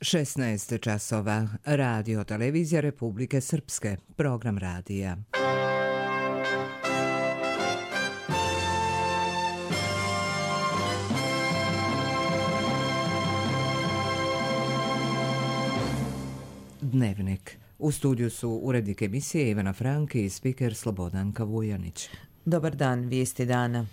16 časova. Radio televizija Republike Srpske. Program radija. Dnevnik. U studiju su urednik emisije Ivana Franki i spiker Slobodanka Vujanić. Dobar dan, vijesti dana.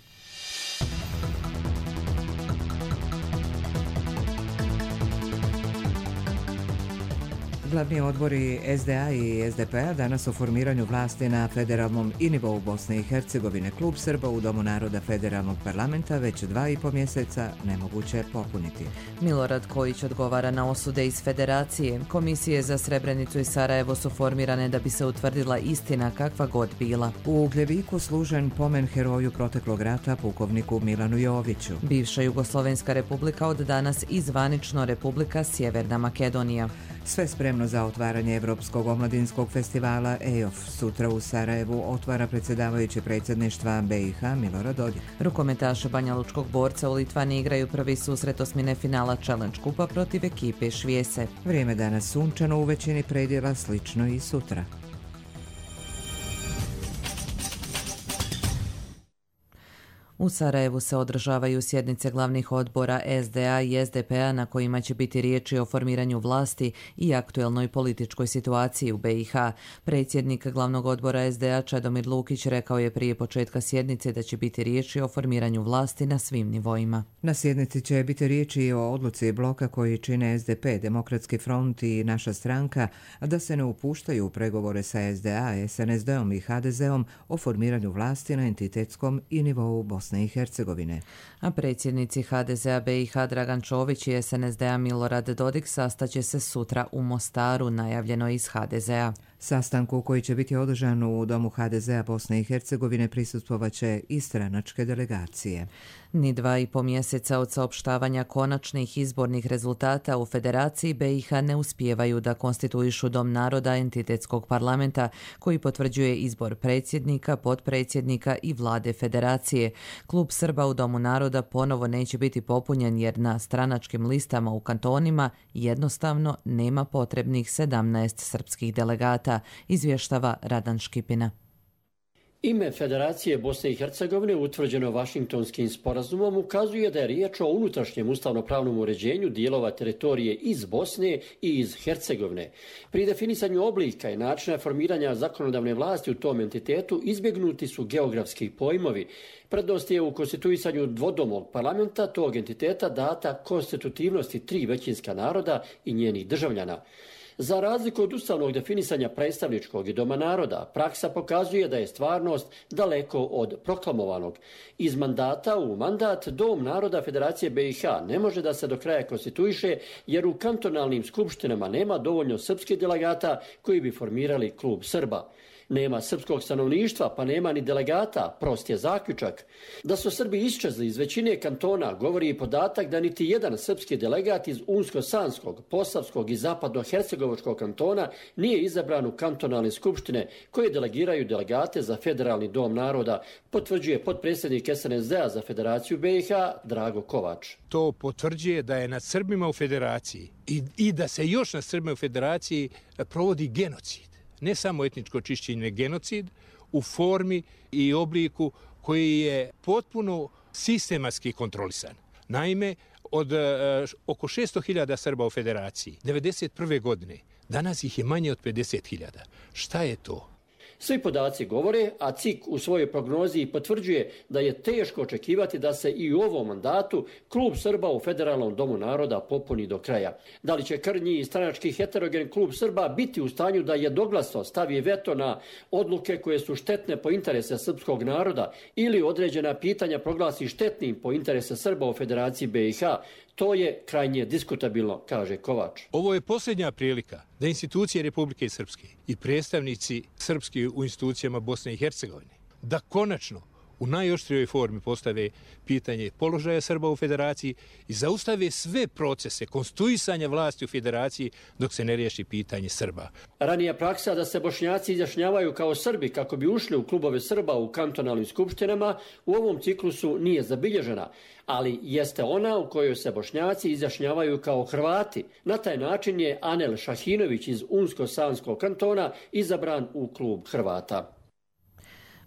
Glavni odbori SDA i SDP-a danas o formiranju vlasti na federalnom i nivou Bosne i Hercegovine. Klub Srba u Domu naroda federalnog parlamenta već 2,5 mjeseca nemoguće je popuniti. Milorad Kojić odgovara na osude iz federacije. Komisije za Srebrenicu i Sarajevo su formirane da bi se utvrdila istina kakva god bila. U Ugljeviku služen pomen heroju proteklog rata pukovniku Milanu Joviću. Bivša Jugoslovenska republika od danas i zvanično Republika Sjeverna Makedonija. Sve spremno za otvaranje Evropskog omladinskog festivala EOF. Sutra u Sarajevu otvara predsjedavajući predsjedništva BiH Milorad Dodik. Rukometaši banjalučkog borca u Litvani igraju prvi susret osmine finala Challenge kupa protiv ekipe Švijese. Vrijeme danas sunčano u većini predjela, slično i sutra. U Sarajevu se održavaju sjednice glavnih odbora SDA i SDP-a na kojima će biti riječi o formiranju vlasti i aktuelnoj političkoj situaciji u BiH. Predsjednik glavnog odbora SDA Čedomir Lukić rekao je prije početka sjednice da će biti riječi o formiranju vlasti na svim nivoima. Na sjednici će biti riječi i o odluci bloka koji čine SDP, Demokratski front i naša stranka da se ne upuštaju u pregovore sa SDA, SNSD-om i HDZ-om o formiranju vlasti na entitetskom i nivou Bosne i Hercegovine. A predsjednici HDZ-a BiH Dragan Čović i SNSD-a Milorad Dodik sastaće se sutra u Mostaru, najavljeno iz HDZ-a. Sastanku koji će biti održan u Domu HDZ-a Bosne i Hercegovine prisustvovaće i stranačke delegacije. Ni 2,5 mjeseca od saopštavanja konačnih izbornih rezultata u Federaciji BiH ne uspijevaju da konstituišu Dom naroda entitetskog parlamenta koji potvrđuje izbor predsjednika, potpredsjednika i vlade Federacije. Klub Srba u Domu naroda ponovo neće biti popunjen jer na stranačkim listama u kantonima jednostavno nema potrebnih 17 srpskih delegata, izvještava Radan Škipina. Ime Federacije Bosne i Hercegovine utvrđeno Vašingtonskim sporazumom ukazuje da je riječ o unutrašnjem ustavno-pravnom uređenju dijelova teritorije iz Bosne i iz Hercegovine. Pri definisanju oblika i načina formiranja zakonodavne vlasti u tom entitetu izbjegnuti su geografski pojmovi. Prednost je u konstituisanju dvodomog parlamenta tog entiteta data konstitutivnosti 3 većinska naroda i njenih državljana. Za razliku od ustavnog definisanja predstavničkog i Doma naroda, praksa pokazuje da je stvarnost daleko od proklamovanog. Iz mandata u mandat Dom naroda Federacije BiH ne može da se do kraja konstituiše jer u kantonalnim skupštinama nema dovoljno srpskih delegata koji bi formirali klub Srba. Nema srpskog stanovništva, pa nema ni delegata, prost je zaključak. Da su Srbi iščezli iz većine kantona govori i podatak da niti jedan srpski delegat iz Unsko-Sanskog, Posavskog i Zapadno-Hercegovačkog kantona nije izabran u kantonalne skupštine koje delegiraju delegate za Federalni dom naroda, potvrđuje potpredsjednik SNSD-a za Federaciju BiH Drago Kovač. To potvrđuje da je nad Srbima u Federaciji i da se još nad Srbima u Federaciji provodi genocid. Ne samo etničko čišćenje, genocid u formi i obliku koji je potpuno sistematski kontrolisan. Naime, od oko 600.000 Srba u Federaciji 1991. godine, danas ih je manje od 50.000. Šta je to? Svi podaci govore, a CIK u svojoj prognozi potvrđuje da je teško očekivati da se i u ovom mandatu klub Srba u Federalnom domu naroda popuni do kraja. Da li će krnji i stranački heterogen klub Srba biti u stanju da jednoglasno stavi veto na odluke koje su štetne po interese srpskog naroda ili određena pitanja proglasi štetnim po interese Srba u Federaciji BiH? To je krajnje diskutabilno, kaže Kovač. Ovo je posljednja prilika da institucije Republike Srpske i predstavnici srpski u institucijama Bosne i Hercegovine da konačno u najoštrijoj formi postave pitanje položaja Srba u federaciji i zaustave sve procese konstituisanja vlasti u federaciji dok se ne riješi pitanje Srba. Ranija praksa da se Bošnjaci izjašnjavaju kao Srbi kako bi ušli u klubove Srba u kantonalnim skupštinama u ovom ciklusu nije zabilježena, ali jeste ona u kojoj se Bošnjaci izjašnjavaju kao Hrvati. Na taj način je Anel Šahinović iz Unsko-Sanskog kantona izabran u klub Hrvata.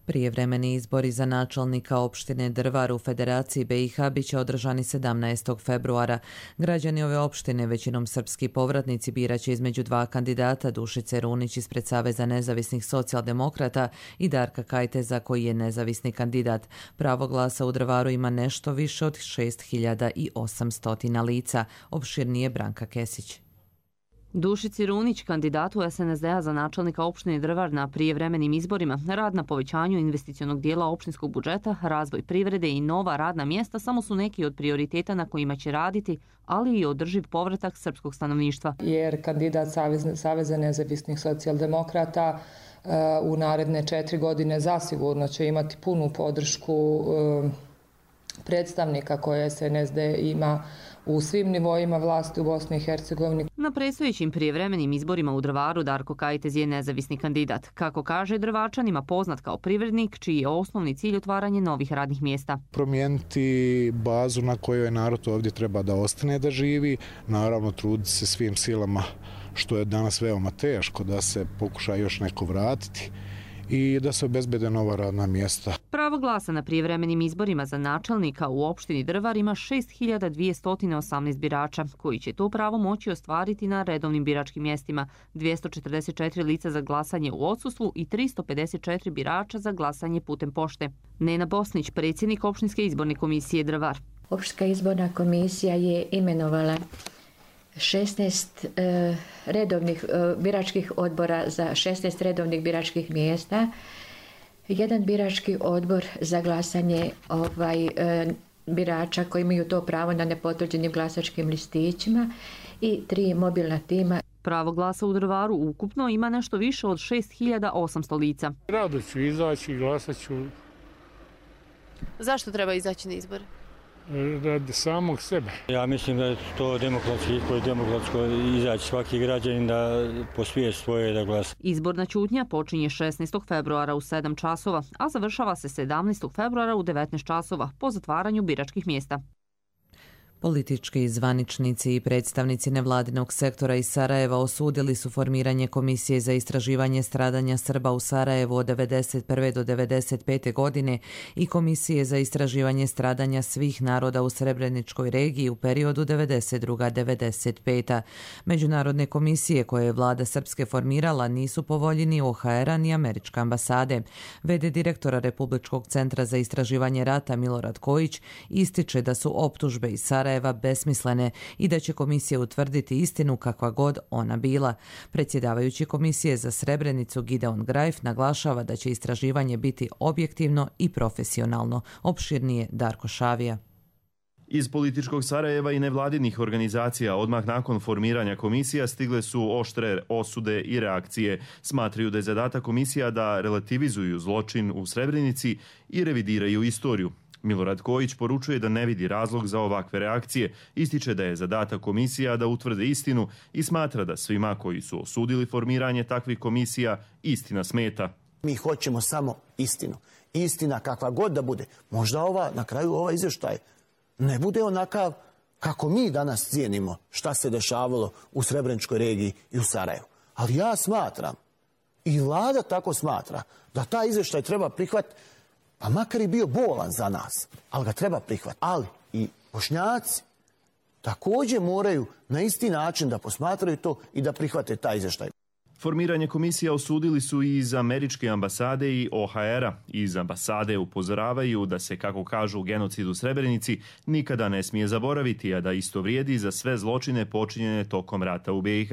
Prijevremeni izbori za načelnika opštine Drvar u Federaciji BiH biće održani 17. februara. Građani ove opštine, većinom srpski povratnici, biraće između dva kandidata, Dušice Runić ispred Saveza nezavisnih socijaldemokrata i Darka Kajteza koji je nezavisni kandidat. Pravo glasa u Drvaru ima nešto više od 6800 lica. Opširnije Branka Kesić. Dušici Runić, kandidatu SNSD-a za načelnika opštine Drvar na prijevremenim izborima, rad na povećanju investicionog dijela opštinskog budžeta, razvoj privrede i nova radna mjesta samo su neki od prioriteta na kojima će raditi, ali i održiv povratak srpskog stanovništva. Jer kandidat Saveza nezavisnih socijaldemokrata u naredne 4 godine zasigurno će imati punu podršku predstavnika koje SNSD ima u svim nivoima vlasti u Bosni i Hercegovini. Na predstojećim prijevremenim izborima u Drvaru Darko Kajtez je nezavisni kandidat. Kako kaže, Drvačanima poznat kao privrednik, čiji je osnovni cilj otvaranje novih radnih mjesta. Promijeniti bazu na kojoj narod ovdje treba da ostane da živi, naravno truditi se svim silama, što je danas veoma teško, da se pokuša još neko vratiti i da se obezbede nova radna mjesta. Pravo glasa na prijevremenim izborima za načelnika u opštini Drvar ima 6218 birača, koji će to pravo moći ostvariti na redovnim biračkim mjestima, 244 lica za glasanje u odsustvu i 354 birača za glasanje putem pošte. Nena Bosnić, predsjednik opštinske izborne komisije Drvar. Opštinska izborna komisija je imenovala 16 redovnih biračkih odbora za 16 redovnih biračkih mjesta, jedan birački odbor za glasanje birača koji imaju to pravo na nepotvrđenim glasačkim listićima i 3 mobilna tima. Pravo glasa u Drvaru ukupno ima nešto više od 6800 lica. Rado ću izaći i glasat ću. Zašto treba izaći na izbore? Radi samog sebe. Ja mislim da je to demokratski izbor, demokratsko izaći svaki građanin da posvije svoje da glasa. Izborna ćutnja počinje 16. februara u 7 časova, a završava se 17. februara u 19 časova po zatvaranju biračkih mjesta. Politički zvaničnici i predstavnici nevladinog sektora iz Sarajeva osudili su formiranje Komisije za istraživanje stradanja Srba u Sarajevu od 1991. do 1995. godine i Komisije za istraživanje stradanja svih naroda u Srebreničkoj regiji u periodu 1992-1995. Međunarodne komisije koje je vlada Srpske formirala nisu po volji ni OHR-a ni američke ambasade. V.d. direktora Republičkog centra za istraživanje rata Milorad Kojić ističe da su optužbe iz Sarajeva besmislene i da će komisija utvrditi istinu kakva god ona bila. Predsjedavajući komisije za Srebrenicu Gideon Grajf naglašava da će istraživanje biti objektivno i profesionalno. Opširnije Darko Šavija. Iz političkog Sarajeva i nevladinih organizacija odmah nakon formiranja komisija stigle su oštre osude i reakcije. Smatraju da je zadatak komisija da relativizuju zločin u Srebrenici i revidiraju istoriju. Milorad Kojić poručuje da ne vidi razlog za ovakve reakcije, ističe da je zadatak komisija da utvrde istinu i smatra da svima koji su osudili formiranje takvih komisija istina smeta. Mi hoćemo samo istinu. Istina kakva god da bude. Možda na kraju ovaj izvještaj ne bude onakav kako mi danas cijenimo šta se dešavalo u Srebreničkoj regiji i u Sarajevu. Ali ja smatram, i vlada tako smatra, da taj izvještaj treba prihvatiti, pa makar i bio bolan za nas, ali ga treba prihvatiti. Ali i Bošnjaci također moraju na isti način da posmatraju to i da prihvate taj izvještaj. Formiranje komisija osudili su i iz američke ambasade i OHR-a. Iz ambasade upozoravaju da se, kako kažu, genocid u Srebrenici nikada ne smije zaboraviti, a da isto vrijedi za sve zločine počinjene tokom rata u BiH.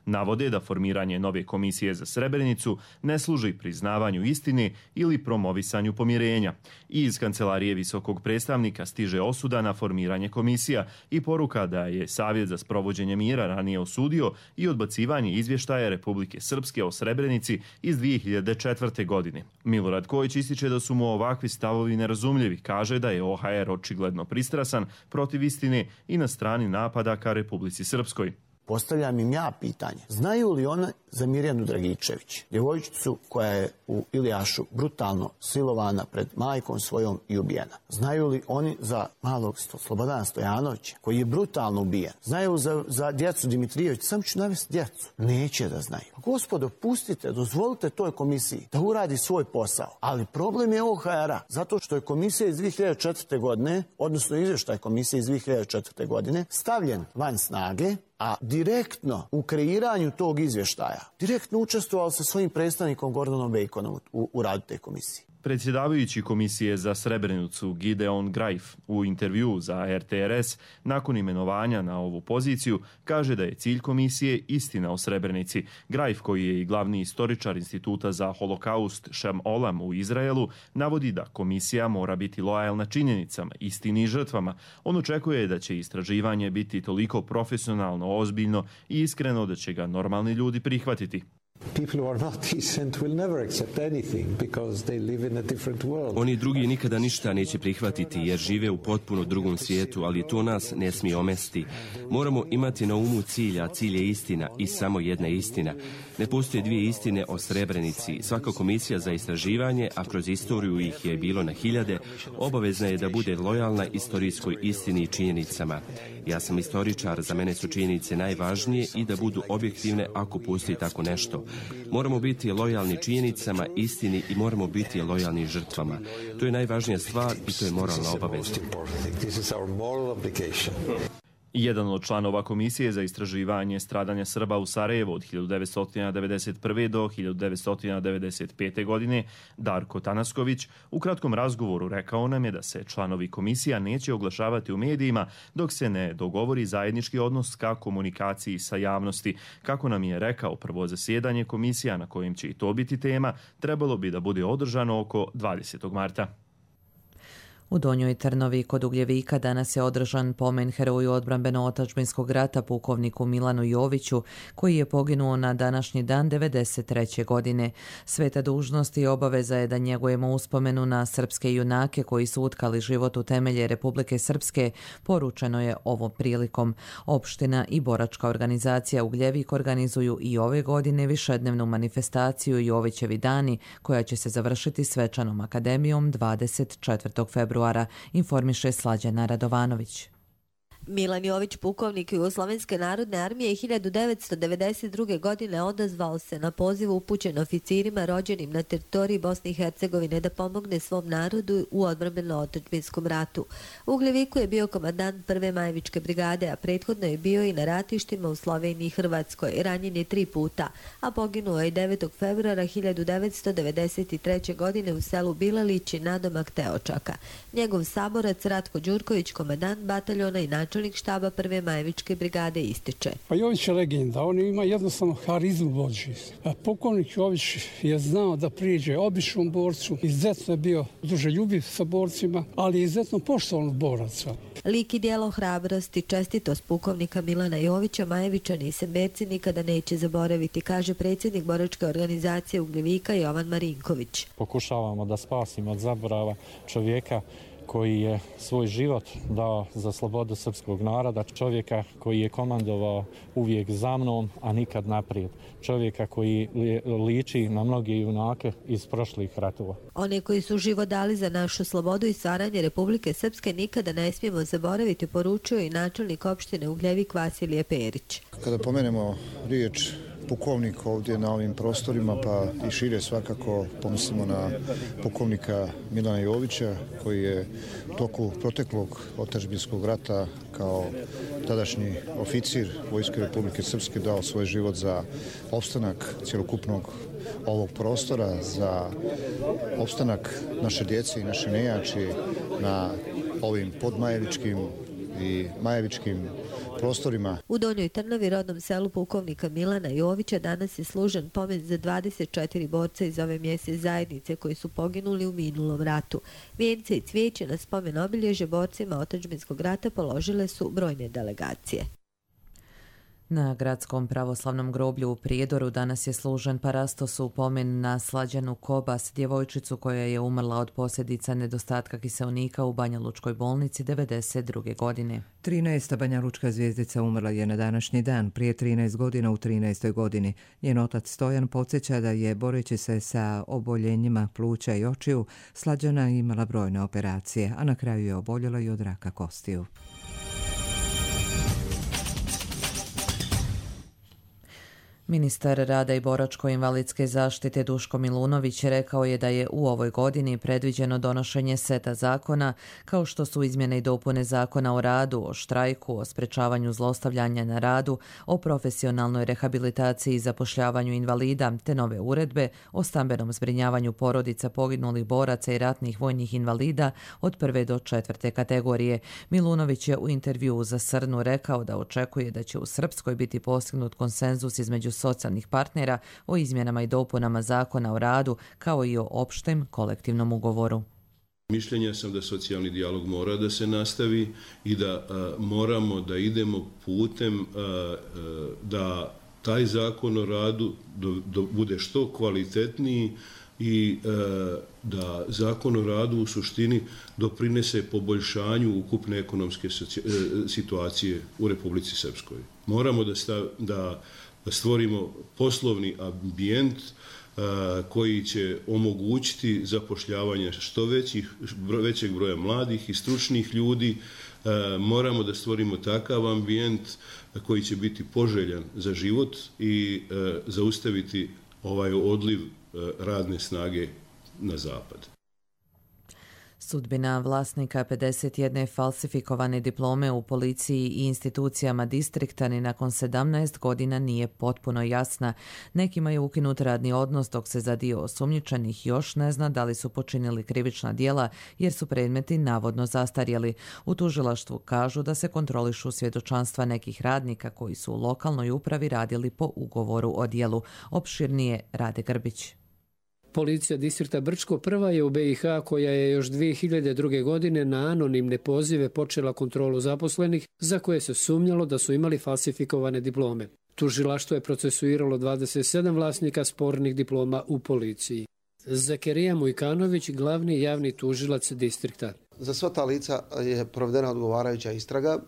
Navode da formiranje nove komisije za Srebrenicu ne služi priznavanju istine ili promovisanju pomirenja. I iz kancelarije visokog predstavnika stiže osuda na formiranje komisija i poruka da je Savjet za sprovođenje mira ranije osudio i odbacivanje izvještaja Republike Republike Srpske o Srebrenici iz 2004. godine. Milorad Kojić ističe da su mu ovakvi stavovi nerazumljivi. Kaže da je OHR očigledno pristrasan protiv istine i na strani napada ka Republici Srpskoj. Postavljam im ja pitanje. Znaju li oni za Mirjanu Dragičević, djevojčicu koja je u Ilijašu brutalno silovana pred majkom svojom i ubijena? Znaju li oni za malog Slobodana Stojanovića koji je brutalno ubijen? Znaju za djecu Dimitrijević? Sam ću navesti djecu. Neće da znaju. Gospodo, pustite, dozvolite toj komisiji da uradi svoj posao. Ali problem je OHR-a, zato što je komisija iz 2004. godine, odnosno izvještaj komisije iz 2004. godine, stavljen van snage, a direktno u kreiranju tog izvještaja, direktno učestvovao sa svojim predstavnikom Gordonom Bejkonom u radu te komisije. Predsjedavajući komisije za Srebrenicu Gideon Grajf u intervjuu za RTRS nakon imenovanja na ovu poziciju kaže da je cilj komisije istina o Srebrenici. Grajf, koji je i glavni istoričar Instituta za holokaust Shem Olam u Izraelu, navodi da komisija mora biti lojalna činjenicama, istini i žrtvama. On očekuje da će istraživanje biti toliko profesionalno, ozbiljno i iskreno da će ga normalni ljudi prihvatiti. Oni drugi nikada ništa neće prihvatiti jer žive u potpuno drugom svijetu, ali to nas ne smije omesti. Moramo imati na umu cilj, a cilj je istina i samo jedna istina. Ne postoje dvije istine o Srebrenici. Svaka komisija za istraživanje, a kroz istoriju ih je bilo na hiljade, obavezna je da bude lojalna istorijskoj istini i činjenicama. Ja sam istoričar, za mene su činjenice najvažnije i da budu objektivne ako postoji tako nešto. Moramo biti lojalni činjenicama, istini i moramo biti lojalni žrtvama. To je najvažnija stvar i to je moralna obaveza. Jedan od članova Komisije za istraživanje stradanja Srba u Sarajevu od 1991. do 1995. godine, Darko Tanasković, u kratkom razgovoru rekao nam je da se članovi komisija neće oglašavati u medijima dok se ne dogovori zajednički odnos ka komunikaciji sa javnosti. Kako nam je rekao, prvo zasjedanje komisija na kojem će i to biti tema trebalo bi da bude održano oko 20. marta. U Donjoj Trnovi kod Ugljevika danas je održan pomen heroju odbrambeno-otadžbinskog rata pukovniku Milanu Joviću, koji je poginuo na današnji dan 1993. godine. Sveta dužnost i obaveza je da njegujemo uspomenu na srpske junake koji su utkali život u temelje Republike Srpske, poručeno je ovom prilikom. Opština i boračka organizacija Ugljevik organizuju i ove godine višednevnu manifestaciju Jovićevi dani, koja će se završiti svečanom akademijom 24. februara. Informiše Slađana Radovanović. Milan Jović, pukovnik Jugoslovenske narodne armije, 1992. godine odazvao se na poziv upućen oficirima rođenim na teritoriji Bosne i Hercegovine da pomogne svom narodu u odbrambeno-otadžbinskom ratu. U Ugljeviku je bio komandant prve Majevičke brigade, a prethodno je bio i na ratištima u Sloveniji i Hrvatskoj. Ranjen je 3 puta, a poginuo je 9. februara 1993. godine u selu Bilalići nadomak Teočaka. Njegov saborac Ratko Đurković, komandant bataljona i načelnik štaba prve Majevičke brigade, ističe. Pa Jović je legenda, on ima jednostavno harizmu vođi. Pukovnik Jović je znao da priđe običnom borcu, izuzetno je bio druželjubiv sa borcima, ali izuzetno poštovan boraca. Lik i djelo, hrabrost i čestitost pukovnika Milana Jovića Majevičani i Semberci nikada neće zaboraviti, kaže predsjednik boračke organizacije Ugljevika Jovan Marinković. Pokušavamo da spasimo od zaborava čovjeka koji je svoj život dao za slobodu srpskog naroda, čovjeka koji je komandovao uvijek za mnom, a nikad naprijed. Čovjeka koji liči na mnoge junake iz prošlih ratova. One koji su život dali za našu slobodu i stvaranje Republike Srpske nikada ne smijemo zaboraviti, poručio i načelnik opštine Ugljevik Vasilije Perić. Kada pomenemo riječ pukovnik ovdje na ovim prostorima, pa i šire svakako pomislimo na pukovnika Milana Jovića, koji je u toku proteklog otadžbinskog rata kao tadašnji oficir Vojske Republike Srpske dao svoj život za opstanak cjelokupnog ovog prostora, za opstanak naše djece i naše nejači na ovim podmajevičkim i majevičkim prostorima. U Donjoj Trnovi, rodnom selu pukovnika Milana Jovića, danas je služen pomen za 24 borca iz ove mjesne zajednice koji su poginuli u minulom ratu. Vijence i cvijeće na spomen obilježje borcima otadžbinskog rata položile su brojne delegacije. Na gradskom pravoslavnom groblju u Prijedoru danas je služen parastos u pomen na Slađanu Kobas, djevojčicu koja je umrla od posljedica nedostatka kiseonika u Banjalučkoj bolnici 1992. godine. 13. banjalučka zvijezdica umrla je na današnji dan, prije 13 godina u 13. godini. Njen otac Stojan podsjeća da je, boreći se sa oboljenjima pluća i očiju, Slađana imala brojne operacije, a na kraju je oboljela i od raka kostiju. Ministar rada i boračko-invalidske zaštite Duško Milunović rekao je da je u ovoj godini predviđeno donošenje seta zakona kao što su izmjene i dopune Zakona o radu, o štrajku, o sprečavanju zlostavljanja na radu, o profesionalnoj rehabilitaciji i zapošljavanju invalida, te nove uredbe o stambenom zbrinjavanju porodica poginulih boraca i ratnih vojnih invalida od 1. do 4. kategorije. Milunović je u intervjuu za Srnu rekao da očekuje da će u Srpskoj biti postignut konsenzus između socijalnih partnera o izmjenama i dopunama Zakona o radu, kao i o opštem kolektivnom ugovoru. Mišljenja sam da socijalni dijalog mora da se nastavi i da moramo da idemo putem da taj Zakon o radu bude što kvalitetniji i da Zakon o radu u suštini doprinese poboljšanju ukupne ekonomske situacije u Republici Srpskoj. Moramo da stvorimo poslovni ambijent koji će omogućiti zapošljavanje što većeg broja mladih i stručnih ljudi. Moramo da stvorimo takav ambijent koji će biti poželjan za život i zaustaviti ovaj odliv radne snage na zapad. Sudbina vlasnika 51 falsifikovane diplome u policiji i institucijama distrikta ni nakon 17 godina nije potpuno jasna. Nekima je ukinut radni odnos, dok se za dio osumnjičenih još ne zna da li su počinili krivična djela jer su predmeti navodno zastarjeli. U tužilaštvu kažu da se kontrolišu svjedočanstva nekih radnika koji su u lokalnoj upravi radili po ugovoru o djelu. Opširnije Rade Grbić. Policija distrikta Brčko prva je u BiH koja je još 2002. godine na anonimne pozive počela kontrolu zaposlenih za koje se sumnjalo da su imali falsifikovane diplome. Tužilaštvo je procesuiralo 27 vlasnika spornih diploma u policiji. Zakerija Mujkanović, glavni javni tužilac distrikta. Za sva ta lica je provedena odgovarajuća istraga.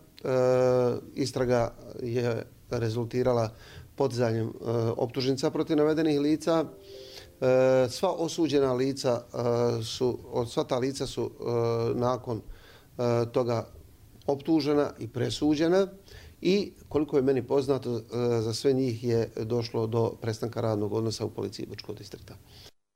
Istraga je rezultirala podizanjem optužnica protiv navedenih lica. Sva osuđena lica sva ta lica su nakon toga optužena i presuđena i koliko je meni poznato za sve njih je došlo do prestanka radnog odnosa u policiji Brčkog distrikta.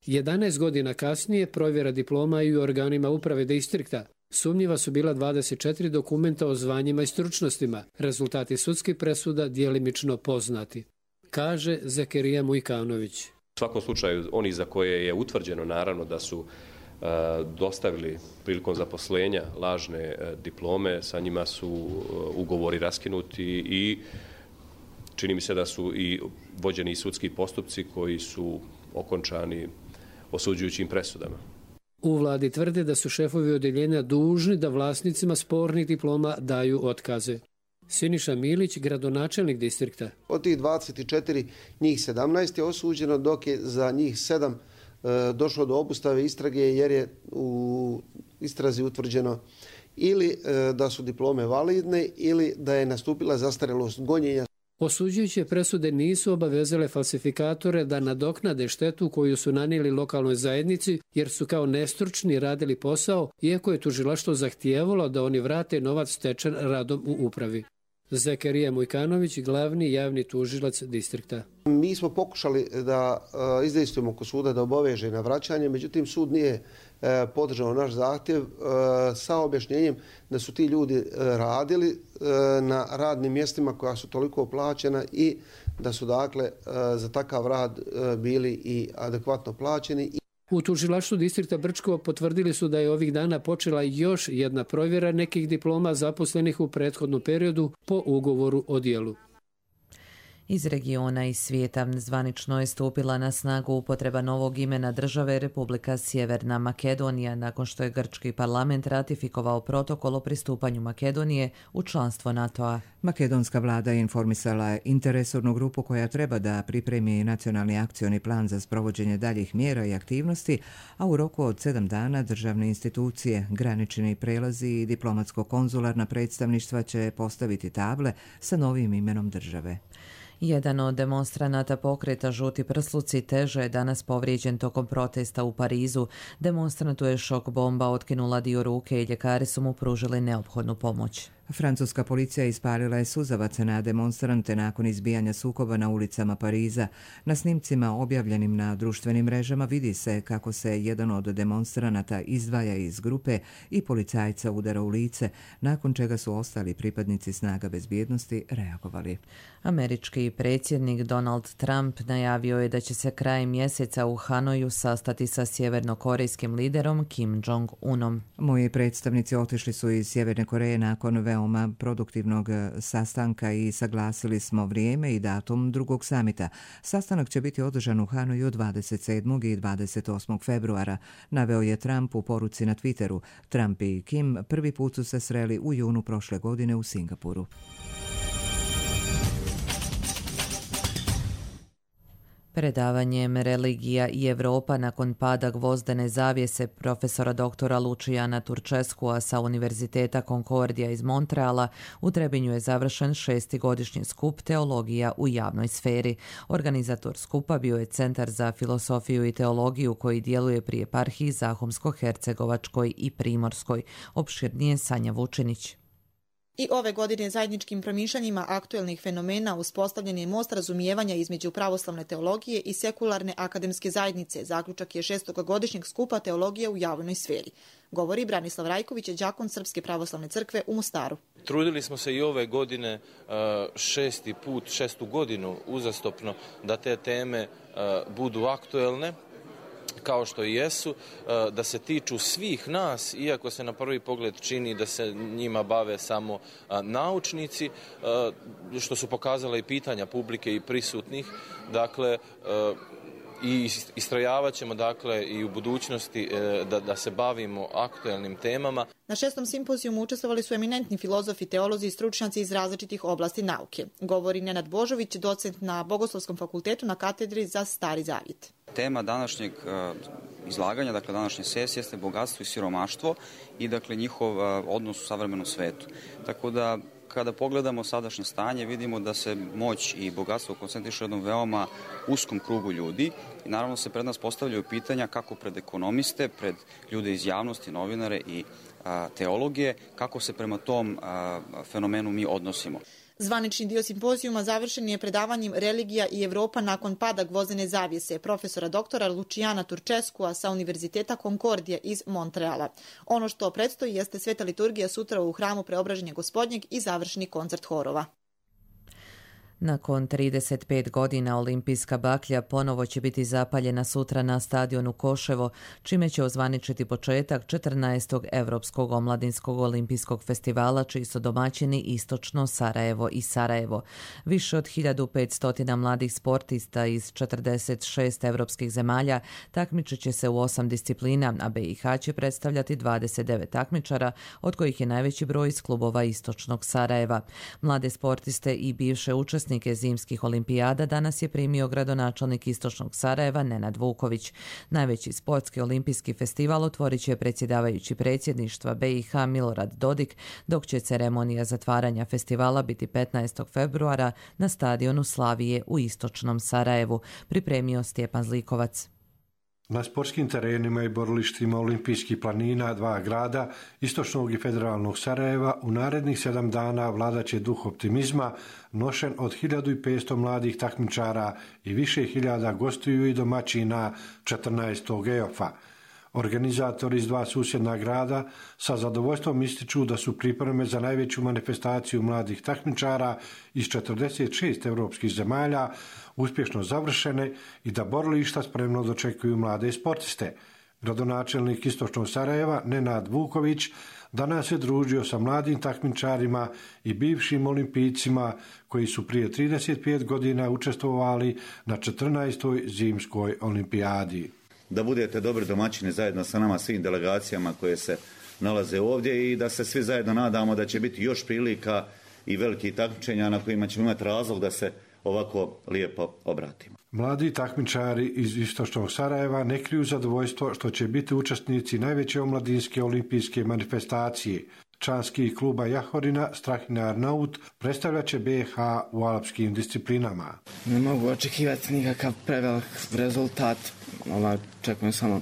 11 godina kasnije provjera diploma i u organima uprave distrikta. Sumnjiva su bila 24 dokumenta o zvanjima i stručnostima. Rezultati sudskih presuda djelimično poznati, kaže Zakerija Mujkanović. U svakom slučaju, oni za koje je utvrđeno naravno da su dostavili prilikom zaposlenja lažne diplome, sa njima su ugovori raskinuti i čini mi se da su i vođeni sudski postupci koji su okončani osuđujućim presudama. U vladi tvrde da su šefovi odjeljenja dužni da vlasnicima spornih diploma daju otkaze. Siniša Milić, gradonačelnik distrikta. Od tih 24, njih 17 je osuđeno, dok je za njih 7 došlo do obustave istrage jer je u istrazi utvrđeno ili da su diplome validne ili da je nastupila zastarelost gonjenja. Osuđujuće presude nisu obavezale falsifikatore da nadoknade štetu koju su nanijeli lokalnoj zajednici jer su kao nestručni radili posao, iako je tužilaštvo zahtijevalo da oni vrate novac stečen radom u upravi. Zakerija Mujkanović, glavni javni tužilac distrikta. Mi smo pokušali da izdejstvujemo oko suda da obaveže na vraćanje, međutim sud nije podržao naš zahtjev sa objašnjenjem da su ti ljudi radili na radnim mjestima koja su toliko plaćena i da su dakle za takav rad bili i adekvatno plaćeni. U tužilaštvu distrikta Brčko potvrdili su da je ovih dana počela još jedna provjera nekih diploma zaposlenih u prethodnom periodu po ugovoru o djelu. Iz regiona i svijeta zvanično je stupila na snagu upotreba novog imena države Republika Sjeverna Makedonija nakon što je grčki parlament ratifikovao protokol o pristupanju Makedonije u članstvo NATO-a. Makedonska vlada je informisala interesornu grupu koja treba da pripremi nacionalni akcioni plan za sprovođenje daljih mjera i aktivnosti, a u roku od 7 dana državne institucije, granični prelazi i diplomatsko-konzularna predstavništva će postaviti table sa novim imenom države. Jedan od demonstranata pokreta Žuti prsluci teže je danas povrijeđen tokom protesta u Parizu. Demonstrantu je šok bomba otkinula dio ruke i ljekari su mu pružili neophodnu pomoć. Francuska policija ispalila je suzavac na demonstrante nakon izbijanja sukoba na ulicama Pariza. Na snimcima objavljenim na društvenim mrežama vidi se kako se jedan od demonstranata izdvaja iz grupe i policajca udara u lice, nakon čega su ostali pripadnici snaga bezbjednosti reagovali. Američki predsjednik Donald Trump najavio je da će se krajem mjeseca u Hanoju sastati sa sjevernokorejskim liderom Kim Jong-unom. Moji predstavnici otišli su iz Sjeverne Koreje nakon veoma produktivnog sastanka i saglasili smo vrijeme i datum drugog samita. Sastanak će biti održan u Hanoju 27. i 28. februara, naveo je Trump u poruci na Twitteru. Trump i Kim prvi put su se sreli u junu prošle godine u Singapuru. Predavanjem Religija i Europa nakon pada gvozdene zavjese profesora doktora Lucijana Turčeskua sa Univerziteta Concordia iz Montreala u Trebinju je završen 6. godišnji skup Teologija u javnoj sferi. Organizator skupa bio je Centar za filosofiju i teologiju koji djeluje pri eparhiji Zahumsko-Hercegovačkoj i Primorskoj. Opširnije Sanja Vučinić. I ove godine zajedničkim promišljanjima aktuelnih fenomena uspostavljen je most razumijevanja između pravoslavne teologije i sekularne akademske zajednice. Zaključak je 6. godišnjeg skupa Teologije u javnoj sferi. Govori Branislav Rajković, đakon Srpske pravoslavne crkve u Mostaru. Trudili smo se i ove godine, 6. godinu uzastopno, da te teme budu aktuelne, kao što i jesu, da se tiču svih nas, iako se na prvi pogled čini da se njima bave samo naučnici, što su pokazala i pitanja publike i prisutnih. Dakle, i istrajavat ćemo i u budućnosti da se bavimo aktuelnim temama. Na 6. simpozijumu učestvovali su eminentni filozofi, teolozi i stručnjaci iz različitih oblasti nauke. Govori Nenad Božović, docent na Bogoslovskom fakultetu na katedri za Stari Zavjet. Tema današnjeg izlaganja, dakle današnje sesije, jeste bogatstvo i siromaštvo i njihov odnos u savremenom svetu. Tako da kada pogledamo sadašnje stanje, vidimo da se moć i bogatstvo koncentriše u jednom veoma uskom krugu ljudi i naravno se pred nas postavljaju pitanja kako pred ekonomiste, pred ljude iz javnosti, novinare i teologije, kako se prema tom fenomenu mi odnosimo. Zvanični dio simpozijuma završen je predavanjem Religija i Europa nakon pada gvozdene zavjese profesora doktora Lucijana Turčeskua sa Univerziteta Concordia iz Montreala. Ono što predstoji jeste sveta liturgija sutra u hramu Preobraženja Gospodnjeg i završni koncert horova. Nakon 35 godina olimpijska baklja ponovo će biti zapaljena sutra na stadionu Koševo, čime će ozvaničiti početak 14. Evropskog omladinskog olimpijskog festivala, čiji su domaćini Istočno Sarajevo i Sarajevo. Više od 1500 mladih sportista iz 46 evropskih zemalja takmičit će se u 8 disciplina, a BiH će predstavljati 29 takmičara, od kojih je najveći broj iz klubova Istočnog Sarajeva. Mlade sportiste i bivše učesnike zimskih olimpijada danas je primio gradonačelnik Istočnog Sarajeva Nenad Vuković. Najveći sportski olimpijski festival otvorit će predsjedavajući predsjedništva BiH Milorad Dodik, dok će ceremonija zatvaranja festivala biti 15. februara na stadionu Slavije u Istočnom Sarajevu, pripremio Stjepan Zlikovac. Na sportskim terenima i borilištima olimpijskih planina dva grada, Istočnog i Federalnog Sarajeva, u narednih 7 dana vladaće duh optimizma, nošen od 1500 mladih takmičara i više hiljada gostiju i domaćina 14. EOF-a. Organizatori iz dva susjedna grada sa zadovoljstvom ističu da su pripreme za najveću manifestaciju mladih takmičara iz 46 europskih zemalja uspješno završene i da borilišta spremno dočekuju mlade sportiste. Gradonačelnik Istočnog Sarajeva Nenad Vuković danas se družio sa mladim takmičarima i bivšim olimpijcima koji su prije 35 godina učestvovali na 14. zimskoj olimpijadi. Da budete dobri domaćini zajedno sa nama, svim delegacijama koje se nalaze ovdje i da se svi zajedno nadamo da će biti još prilika i velikih takmičenja na kojima ćemo imati razlog da se ovako lijepo obratimo. Mladi takmičari iz istočnog Sarajeva ne kriju zadovoljstvo što će biti učesnici najveće omladinske olimpijske manifestacije. Članski kluba Jahorina Strahinar Naut predstavljat će BiH u alpskim disciplinama. Ne mogu očekivati nikakav prevelik rezultat. Čekujem samo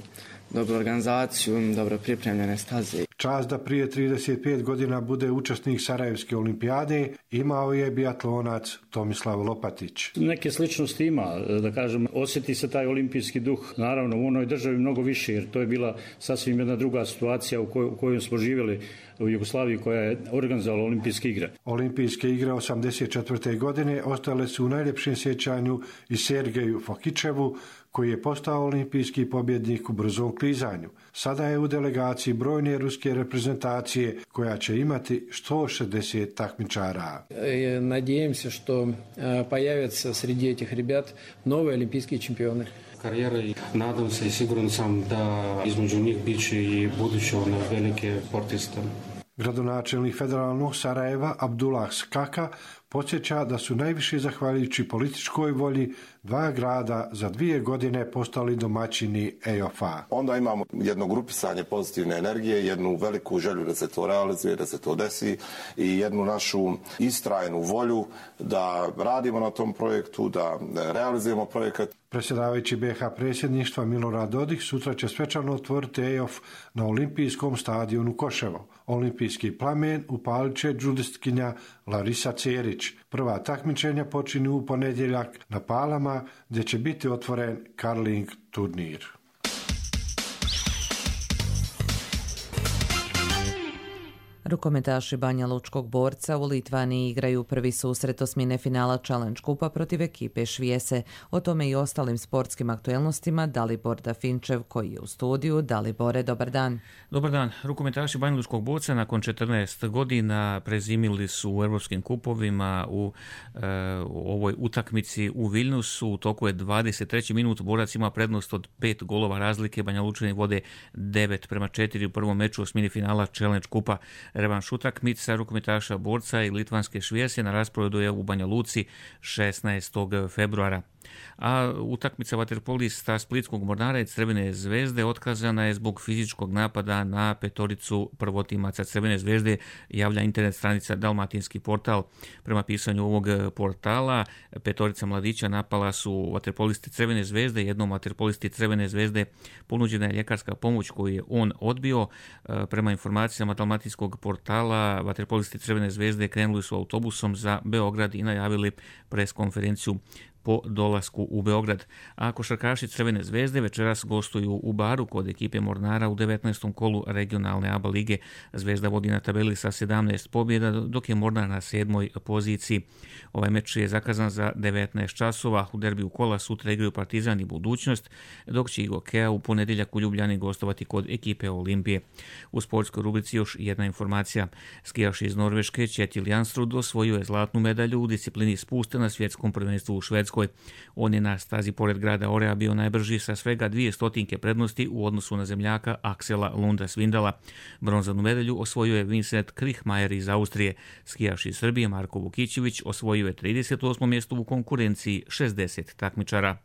dobru organizaciju, dobro pripremljene staze. Čast da prije 35 godina bude učesnik Sarajevske olimpijade imao je biatlonac Tomislav Lopatić. Neke sličnosti ima, da kažem, osjeti se taj olimpijski duh, naravno u onoj državi mnogo više, jer to je bila sasvim jedna druga situacija u kojoj smo živjeli u Jugoslaviji koja je organizovala olimpijske igre. Olimpijske igre 1984. godine ostale su u najljepšem sjećanju i Sergeju Fokićevu, koji je postao olimpijski pobjednik u brzom klizanju. Sada je u delegaciji brojne ruske reprezentacije koja će imati 160 takmičara. Nadjevam se što pojavятся sredi этих ребят novi olimpijski čempioni. Karijera i nadam se i siguran sam da između njih bit će i buduće velike sportiste. Gradonačelnik federalnog Sarajeva Abdullah Skaka podsjeća da su najviše zahvaljujući političkoj volji dva grada za 2 godine postali domaćini EOF-a. Onda imamo jedno grupisanje pozitivne energije, jednu veliku želju da se to realizuje, da se to desi i jednu našu istrajnu volju da radimo na tom projektu, da realizujemo projekat. Predsjedavajući BiH predsjedništva Milorad Dodik sutra će svečano otvoriti EOF na olimpijskom stadionu Koševo. Olimpijski plamen upalit će džudistkinja Larisa Cerić. Prva takmičenja počinju u ponedjeljak na Palama, gdje će biti otvoren karling turnir. Rukometaši Banja Lučkog Borca u Litvaniji igraju prvi susret osmine finala Challenge Kupa protiv ekipe Švijese. O tome i ostalim sportskim aktuelnostima Dalibor Dafinčev koji je u studiju. Dalibore, dobar dan. Dobar dan. Rukometaši Banja Lučkog Borca nakon 14 godina prezimili su u europskim kupovima u ovoj utakmici u Vilnusu. U toku je 23. minut, Borac ima prednost od 5 golova razlike. Banja Lučani vode 9-4 u prvom meču osmini finala Challenge Kupa. Revanš utakmica rukometaša Borca i litvanske Švijese na rasporedu je u Banja Luci 16. februara. A utakmica vaterpolista Splitskog Mornara i Crvene zvezde otkazana je zbog fizičkog napada na petoricu prvotimaca Crvene zvezde, javlja internet stranica Dalmatinski portal. Prema pisanju ovog portala, petorica mladića napala su vaterpolisti Crvene zvezde. Jednom vaterpolisti Crvene zvezde ponuđena je ljekarska pomoć koju je on odbio. Prema informacijama Dalmatinskog portala, vaterpolisti Crvene zvezde krenuli su autobusom za Beograd i najavili preskonferenciju po dolasku u Beograd. A košarkaši Crvene zvezde večeras gostuju u Baru kod ekipe Mornara u 19. kolu regionalne ABA lige. Zvezda vodi na tabeli sa 17 pobjeda, dok je Mornar na 7. poziciji. Ovaj meč je zakazan za 19 časova. U derbiju kola sutra igraju Partizan i Budućnost, dok će Igokea u ponedjeljak u Ljubljani gostovati kod ekipe Olimpije. U sportskoj rubrici još jedna informacija. Skijaš iz Norveške Kjetil Janstrud osvojio je zlatnu medalju u disciplini spusta na svjetskom prvenstvu u Švedskoj. On je na stazi pored grada Orea bio najbrži sa svega 200 prednosti u odnosu na zemljaka Aksela Lunda Svindala. Bronzanu medalju osvojio je Vincent Krihmajer iz Austrije. Skijaš iz Srbije Marko Vukićević osvojio je 38. mjesto u konkurenciji 60 takmičara.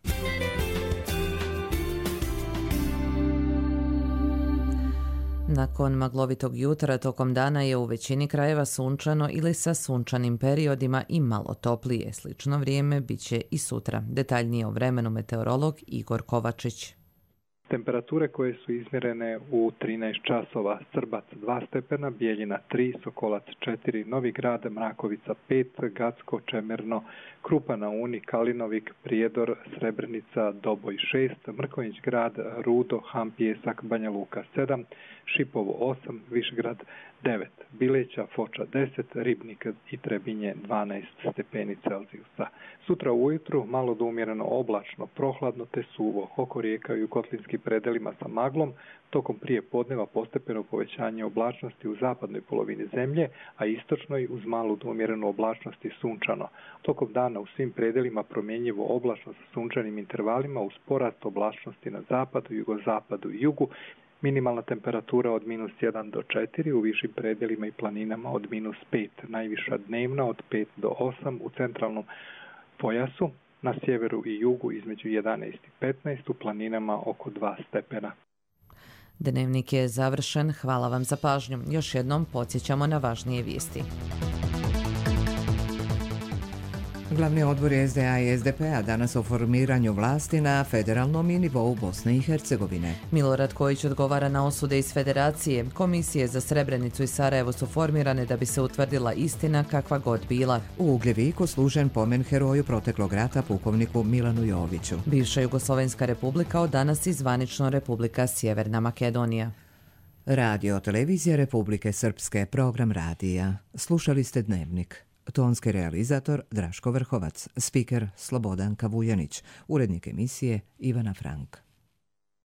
Nakon maglovitog jutra tokom dana je u većini krajeva sunčano ili sa sunčanim periodima i malo toplije. Slično vrijeme bit će i sutra. Detaljnije o vremenu meteorolog Igor Kovačić. Temperature koje su izmjerene u 13 časova: Srbac 2 stepena, Bijeljina 3, Sokolac 4, Novi Grad, Mrakovica 5, Gacko, Čemerno, Krupa na Uni, Kalinovik, Prijedor, Srebrenica, Doboj 6, Mrkonjić Grad, Rudo, Ham, Pijesak, Banja Luka 7, Šipovo 8, Višgrad 9, Bileća, Foča 10, Ribnik i Trebinje 12 stepeni Celzijusa. Sutra ujutru malo do umjereno oblačno, prohladno te suvo, oko rijeka i u kotlinskim predelima sa maglom, tokom prije podneva postepeno povećanje oblačnosti u zapadnoj polovini zemlje, a istočnoj uz malu do umjerenu oblačnost i sunčano. Tokom dana u svim predelima promjenjivo oblačno sa sunčanim intervalima uz porast oblačnosti na zapadu, jugozapadu i jugu. Minimalna temperatura od -1 do 4, u višim predelima i planinama od -5, najviša dnevna od 5 do 8 u centralnom pojasu, na sjeveru i jugu između 11 i 15, u planinama oko 2 stepena. Dnevnik je završen, hvala vam za pažnju. Još jednom podsjećamo na važnije vijesti. Glavni odbor SDA i SDP-a danas o formiranju vlasti na federalnom i nivou Bosne i Hercegovine. Milorad Kojić odgovara na osude iz Federacije. Komisije za Srebrenicu i Sarajevo su formirane da bi se utvrdila istina kakva god bila. U Ugljeviku služen pomen heroju proteklog rata pukovniku Milanu Joviću. Bivša Jugoslovenska republika od danas i zvanično Republika Sjeverna Makedonija. Radio televizija Republike Srpske, program radija. Slušali ste Dnevnik. Tonski realizator Draško Vrhovac, spiker Slobodan Kavujanić, urednik emisije Ivana Frank.